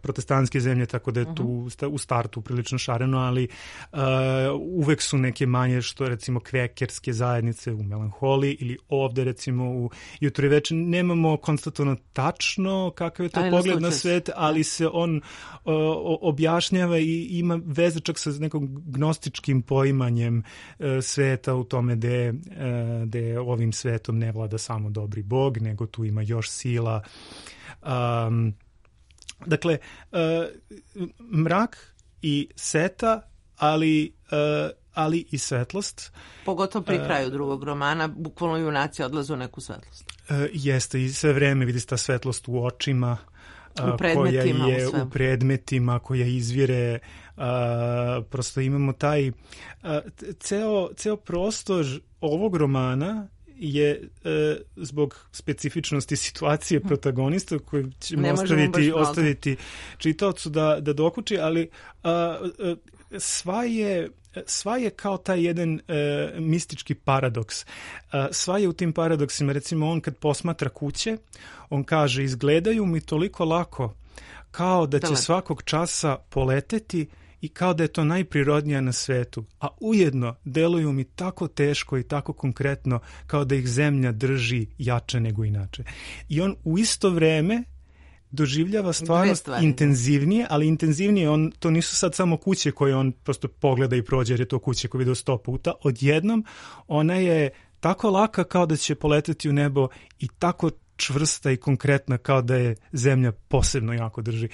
protestantske zemlje, tako da je tu uh-huh. u startu prilično šareno, ali uh, uvek su neke manje, što recimo kvekerske zajednice u Melanholiji ili ovde recimo u Jutro i veče. Nemamo konstatovano tačno kakav je to ali pogled na svet, ali se on uh, objašnjava i ima veze čak sa nekom gnostičkim poimanjem uh, sveta u tome gde, uh, gde ovim svetom ne vlada samo dobri Bog, nego tu ima još sila. Um, Dakle, uh, mrak i seta, ali, uh, ali i svetlost. Pogotovo pri kraju drugog romana, bukvalno junaci odlaze u neku svetlost. Uh, jeste, i sve vreme vidi se ta svetlost u očima, uh, u predmetima, koja je u, u predmetima, koja izvire. Uh, prosto imamo taj uh, ceo, ceo prostor ovog romana je e, zbog specifičnosti situacije protagonista koju ćemo ostaviti, ostaviti čitaocu da, da dokuči, ali a, a, sva je sva je kao taj jedan e, mistički paradoks. A, sva je u tim paradoksima, recimo on kad posmatra kuće, on kaže izgledaju mi toliko lako kao da će svakog časa poleteti i kao da je to najprirodnija na svetu, a ujedno deluju mi tako teško i tako konkretno kao da ih zemlja drži jače nego inače. I on u isto vreme doživljava stvarnost intenzivnije, ali intenzivnije, on, to nisu sad samo kuće koje on prosto pogleda i prođe, jer je to kuće koje vidio sto puta. Odjednom ona je tako laka kao da će poleteti u nebo i tako čvrsta i konkretna kao da je zemlja posebno jako drži.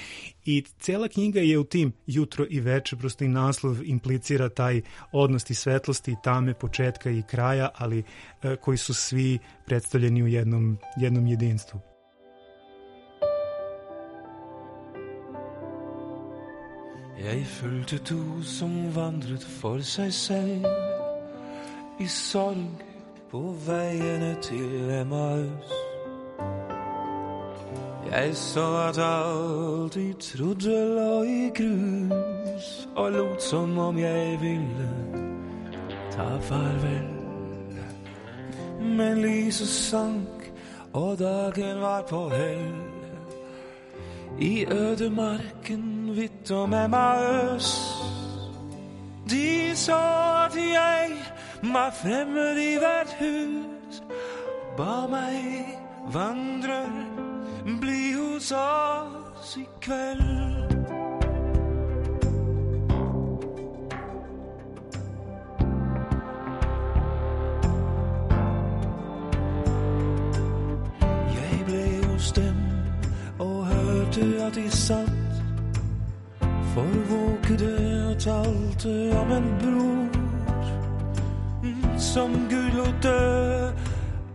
I cela knjiga je u tim jutro i veče, prosto i naslov implicira taj odnos i svetlosti i tame, početka i kraja, ali e, koji su svi predstavljeni u jednom, jednom jedinstvu. Jeg følte du som vandret for sig selv I sorg på vejene til Emmaus. Jeg så at alt I trodde lå I grus og lot som om jeg ville ta farvel. Men lyset sank og dagen var på hell I ødemarken vidt om Emmaus. De så at jeg var fremmed I hvert hus, ba meg vandrer bli hos oss I kveld. Jeg ble hos dem og hørte at de satt forvåkede og talte om en bror som Gud lot dø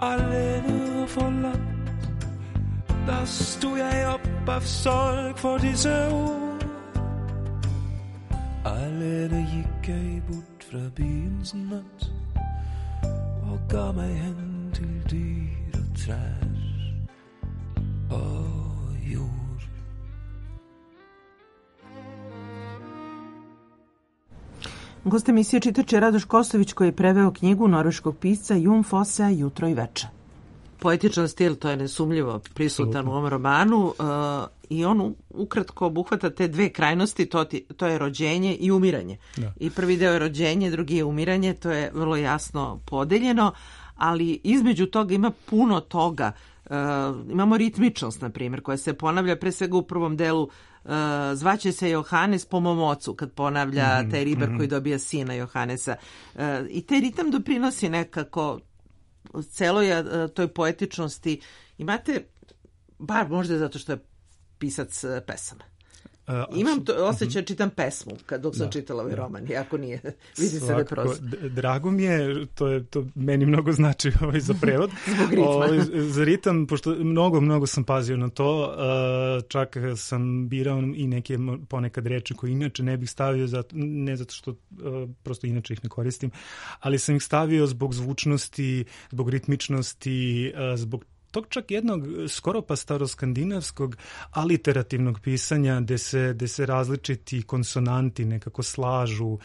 alene og forlatt. Da stod jeg opp av sorg for disse ord. Alene gikk jeg bort fra byens natt og ga meg hen til dyr og trær og jord. Gost emisije čitač je Radoš Kosović koji je preveo knjigu norveškog pisca Jon Fossea Jutro i veče. Poetičan stil, to je nesumljivo prisutan u ovom romanu uh, i on ukratko obuhvata te dve krajnosti, to, ti, to je rođenje i umiranje. Da. I prvi deo je rođenje, drugi je umiranje, to je vrlo jasno podeljeno, ali između toga ima puno toga. Uh, imamo ritmičnost, na primjer, koja se ponavlja pre svega u prvom delu. Uh, zvaće se Johannes po mom ocu, kad ponavlja mm, taj ribar mm. koji dobija sina Johannesa. Uh, I taj ritam doprinosi nekako celoj toj poetičnosti. Imate, bar možda zato što je pisac pesama. Uh, Imam to osjećaj, čitam pesmu kad dok sam da, čitala ovaj da. roman, iako nije, vidi se da je prosto. Drago mi je, to je to meni mnogo znači ovaj, za prevod. Zbog ritma. Ovaj, za ritam, pošto mnogo, mnogo sam pazio na to, uh, čak sam birao i neke ponekad reči koje inače ne bih stavio, zato, ne zato što uh, prosto inače ih ne koristim, ali sam ih stavio zbog zvučnosti, zbog ritmičnosti, uh, zbog tog čak jednog skoro pa staroskandinavskog aliterativnog pisanja gde se, gde se različiti konsonanti nekako slažu.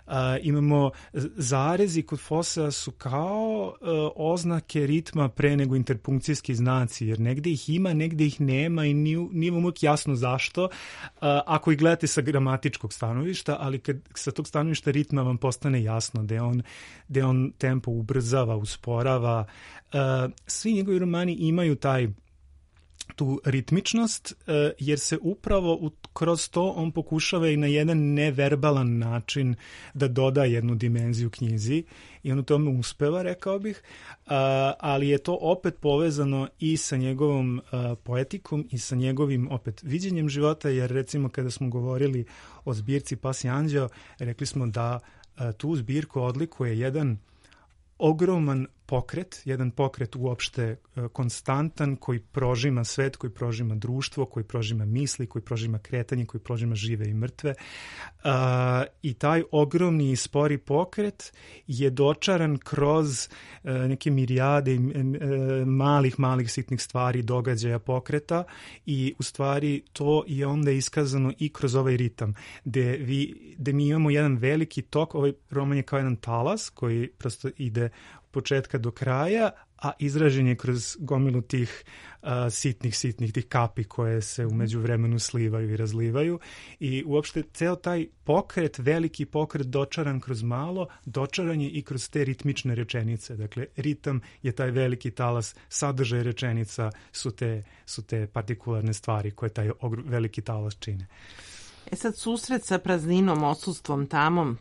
A, imamo zarezi kod Fossea su kao a, oznake ritma pre nego interpunkcijski znaci, jer negde ih ima, negde ih nema i nije, nije vam uvijek jasno zašto, a, ako ih gledate sa gramatičkog stanovišta, ali kad sa tog stanovišta ritma vam postane jasno da on, da on tempo ubrzava, usporava. Uh, svi njegovi romani imaju taj tu ritmičnost, uh, jer se upravo u, kroz to on pokušava i na jedan neverbalan način da doda jednu dimenziju knjizi i on u tome uspeva, rekao bih, uh, ali je to opet povezano i sa njegovom uh, poetikom i sa njegovim opet viđenjem života, jer recimo kada smo govorili o zbirci Pas i anđeo, rekli smo da uh, tu zbirku odlikuje jedan ogroman pokret, jedan pokret uopšte konstantan koji prožima svet, koji prožima društvo, koji prožima misli, koji prožima kretanje, koji prožima žive i mrtve. Uh, I taj ogromni i spori pokret je dočaran kroz uh, neke mirijade uh, malih, malih sitnih stvari, događaja, pokreta i u stvari to je onda iskazano i kroz ovaj ritam, gde, vi, gde mi imamo jedan veliki tok, ovaj roman je kao jedan talas koji prosto ide početka do kraja, a izražen je kroz gomilu tih uh, sitnih, sitnih, tih kapi koje se u međuvremenu slivaju i razlivaju i uopšte ceo taj pokret, veliki pokret dočaran kroz malo, dočaran je i kroz te ritmične rečenice. Dakle, ritam je taj veliki talas, sadržaj rečenica su te, su te partikularne stvari koje taj veliki talas čine. E sad, susret sa prazninom, odsustvom, tamom,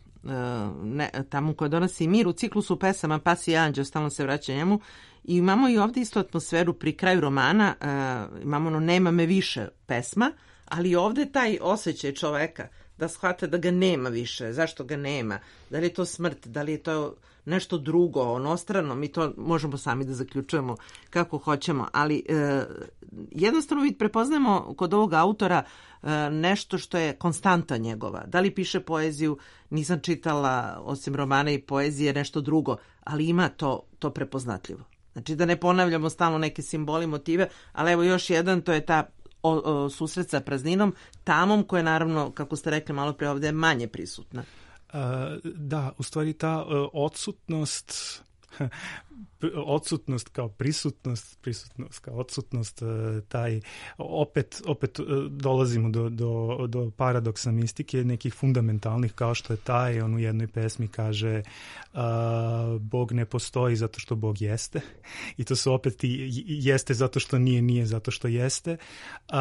ne, tamo koja donosi mir u ciklusu pesama Pas i anđeo, stalno se vraća njemu i imamo i ovdje isto atmosferu pri kraju romana, uh, imamo ono nema me više pesma, ali ovdje taj osjećaj čoveka da shvata da ga nema više, zašto ga nema, da li je to smrt, da li je to nešto drugo, onostrano, mi to možemo sami da zaključujemo kako hoćemo, ali e, jednostavno mi prepoznajemo kod ovog autora e, nešto što je konstanta njegova. Da li piše poeziju, nisam čitala osim romana i poezije nešto drugo, ali ima to, to prepoznatljivo. Znači da ne ponavljamo stalno neke simboli, motive, ali evo još jedan, to je ta o, o, susret sa prazninom, tamom koja je naravno, kako ste rekli malo pre ovdje, manje prisutna. Uh, da, u stvari ta uh, odsutnost odsutnost kao prisutnost, prisutnost kao odsutnost, uh, taj opet, opet uh, dolazimo do, do, do paradoksa mistike, nekih fundamentalnih kao što je taj, on u jednoj pesmi kaže uh, Bog ne postoji zato što Bog jeste i to su opet i jeste zato što nije, nije zato što jeste. Uh,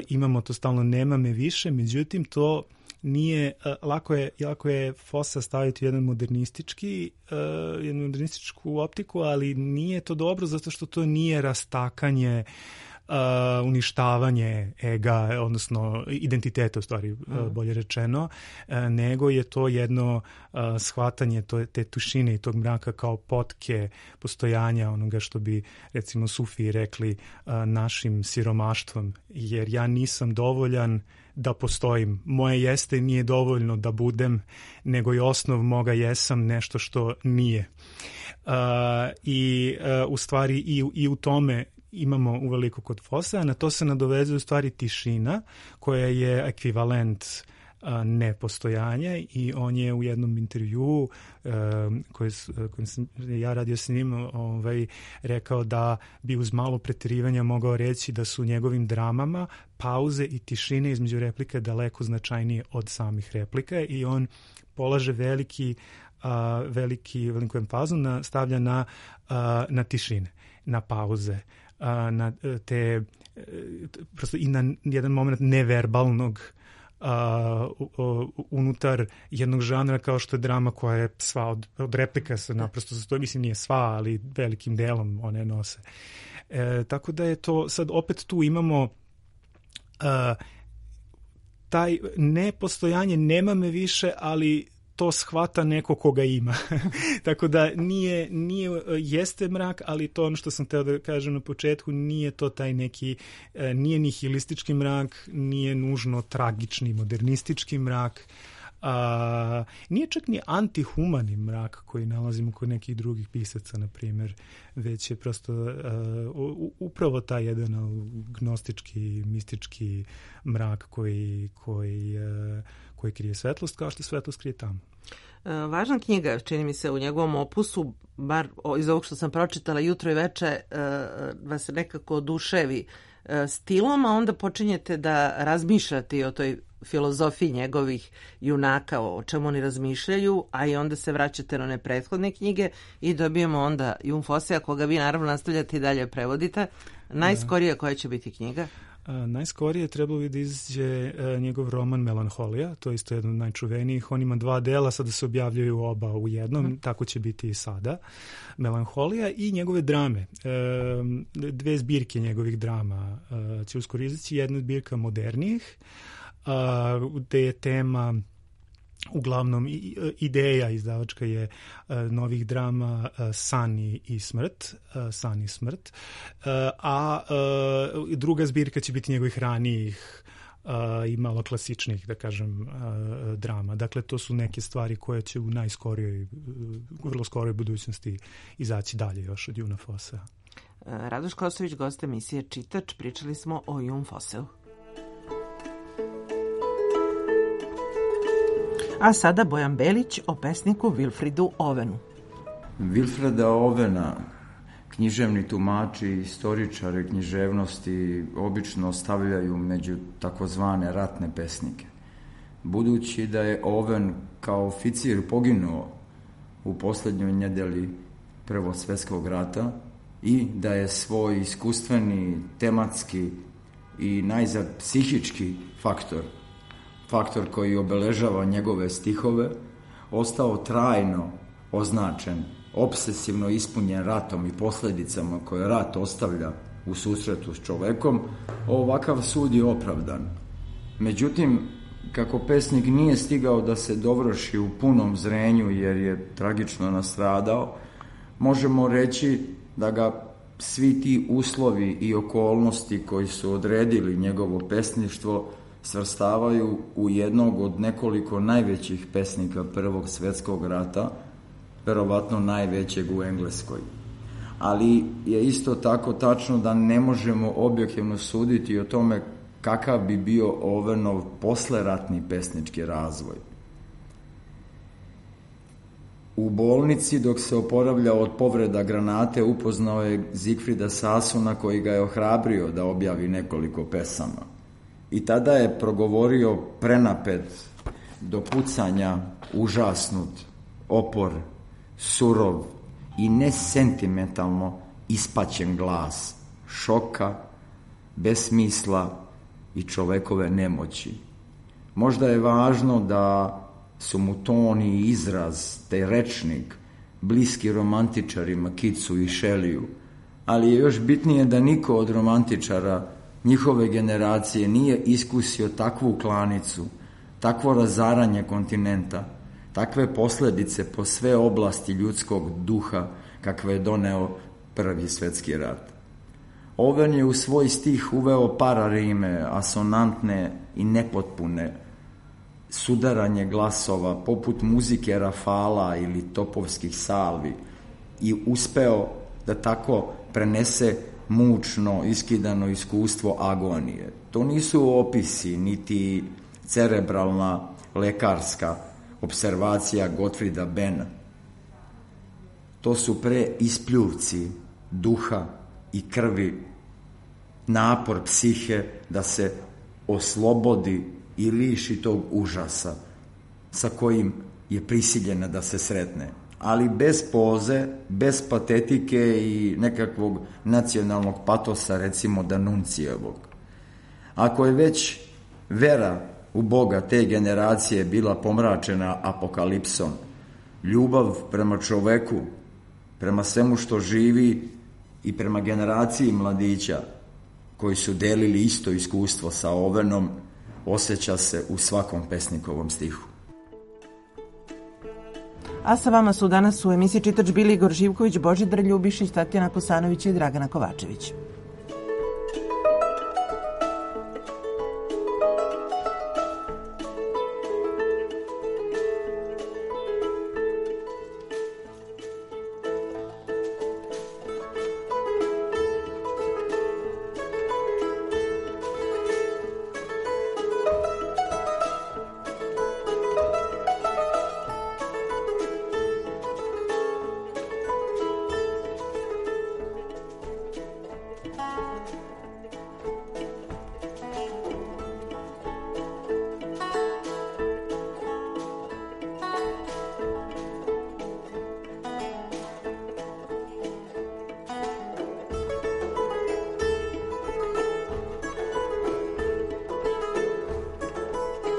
imamo to stalno nema me više, međutim to nije, lako je, lako je Fossa staviti u jedan modernistički, uh, jednu modernističku optiku, ali nije to dobro zato što to nije rastakanje, uh, uništavanje ega, odnosno identiteta u stvari, mm. uh, bolje rečeno, uh, nego je to jedno uh, shvatanje to, te tušine i tog mraka kao potke postojanja onoga što bi recimo Sufiji rekli uh, našim siromaštvom, jer ja nisam dovoljan da postojim. Moje jeste nije dovoljno da budem, nego je osnov moga jesam nešto što nije. Uh, I uh, u stvari i, i u tome imamo uveliko kod Fossa, na to se nadovezuje u stvari tišina koja je ekvivalent nepostojanja i on je u jednom intervjuu koji, koji sam ja radio s njim ovaj, rekao da bi uz malo preterivanja mogao reći da su njegovim dramama pauze i tišine između replika daleko značajnije od samih replika i on polaže veliki a, veliki, veliku empazu na, stavlja na, a, na tišine, na pauze, a, na te prosto i na jedan moment neverbalnog Uh, uh, unutar jednog žanra kao što je drama koja je sva od, od replika se naprosto sastoji, mislim nije sva, ali velikim delom one nose. E, tako da je to, sad opet tu imamo uh, taj nepostojanje, nema me više, ali to shvata neko koga ima. Tako da nije, nije, jeste mrak, ali to ono što sam teo da kažem na početku, nije to taj neki, nije nihilistički mrak, nije nužno tragični, modernistički mrak, A, nije čak ni antihumani mrak koji nalazimo kod nekih drugih pisaca, na primjer, već je prosto a, u, upravo taj jedan gnostički, mistički mrak koji, koji, a, koji krije svetlost, kao što svetlost krije tamo. Važna knjiga, čini mi se, u njegovom opusu, bar iz ovog što sam pročitala jutro i veče, vas nekako oduševi stilom, a onda počinjete da razmišljate o toj filozofiji njegovih junaka, o čemu oni razmišljaju, a i onda se vraćate na one prethodne knjige i dobijemo onda Jon Fossea, koga vi naravno nastavljate i dalje prevodite. Najskorija koja će biti knjiga? A, najskorije trebalo bi da izađe a, njegov roman Melanholija, to je isto jedan od najčuvenijih. On ima dva dela, sada se objavljaju oba u jednom, mm. tako će biti i sada. Melanholija i njegove drame. E, dve zbirke njegovih drama a, će uskoro izaći, jedna zbirka modernijih, a, gde je tema uglavnom ideja izdavačka je uh, novih drama uh, San i, i smrt, uh, San i smrt, uh, a uh, druga zbirka će biti njegovih ranijih uh, i malo klasičnih, da kažem, uh, drama. Dakle, to su neke stvari koje će u najskorijoj, uh, vrlo skoroj budućnosti izaći dalje još od Jona Fossea. Radoš Kosović, gost emisije Čitač, pričali smo o Jon Fosseu. A sada Bojan Belić o pesniku Wilfridu Ovenu. Wilfrida Ovena, književni tumači, istoričari književnosti obično stavljaju među takozvane ratne pesnike. Budući da je Oven kao oficir poginuo u posljednjoj nedjelji Prvog svjetskog rata i da je svoj iskustveni, tematski i najzad psihički faktor faktor koji obeležava njegove stihove, ostao trajno označen, obsesivno ispunjen ratom i posljedicama koje rat ostavlja u susretu s čovekom, ovakav sud je opravdan. Međutim, kako pesnik nije stigao da se dovrši u punom zrenju jer je tragično nastradao, možemo reći da ga svi ti uslovi i okolnosti koji su odredili njegovo pesništvo svrstavaju u jednog od nekoliko najvećih pesnika Prvog svjetskog rata, verovatno najvećeg u Engleskoj. Ali je isto tako tačno da ne možemo objektivno suditi o tome kakav bi bio Ovenov posleratni pesnički razvoj. U bolnici, dok se oporavljao od povreda granate, upoznao je Zigfrida Sasuna koji ga je ohrabrio da objavi nekoliko pesama. I tada je progovorio prenapet, do pucanja, užasnut, opor, surov i nesentimentalno ispaćen glas, šoka, besmisla i čovekove nemoći. Možda je važno da su mu ton i izraz, taj rečnik, bliski romantičarima Keatsu i Shelleyu, ali je još bitnije da niko od romantičara njihove generacije nije iskusio takvu klanicu, takvo razaranje kontinenta, takve posljedice po sve oblasti ljudskog duha kakve je doneo Prvi svjetski rat. Oven je u svoj stih uveo pararime, asonantne i nepotpune, sudaranje glasova poput muzike rafala ili topovskih salvi i uspeo da tako prenese mučno, iskidano iskustvo agonije. To nisu opisi, niti cerebralna lekarska observacija Gottfrieda Benna. To su pre ispljuvci duha i krvi, napor psihe da se oslobodi i liši tog užasa sa kojim je prisiljena da se sretne. Ali bez poze, bez patetike i nekakvog nacionalnog patosa, recimo Danuncijevog. Ako je već vera u Boga te generacije bila pomračena apokalipsom, ljubav prema čoveku, prema svemu što živi i prema generaciji mladića koji su delili isto iskustvo sa Ovenom, osjeća se u svakom pesnikovom stihu. A sa vama su danas u emisiji Čitač bili Igor Živković, Božidar Ljubišić, Tatjana Kosanović i Dragana Kovačević.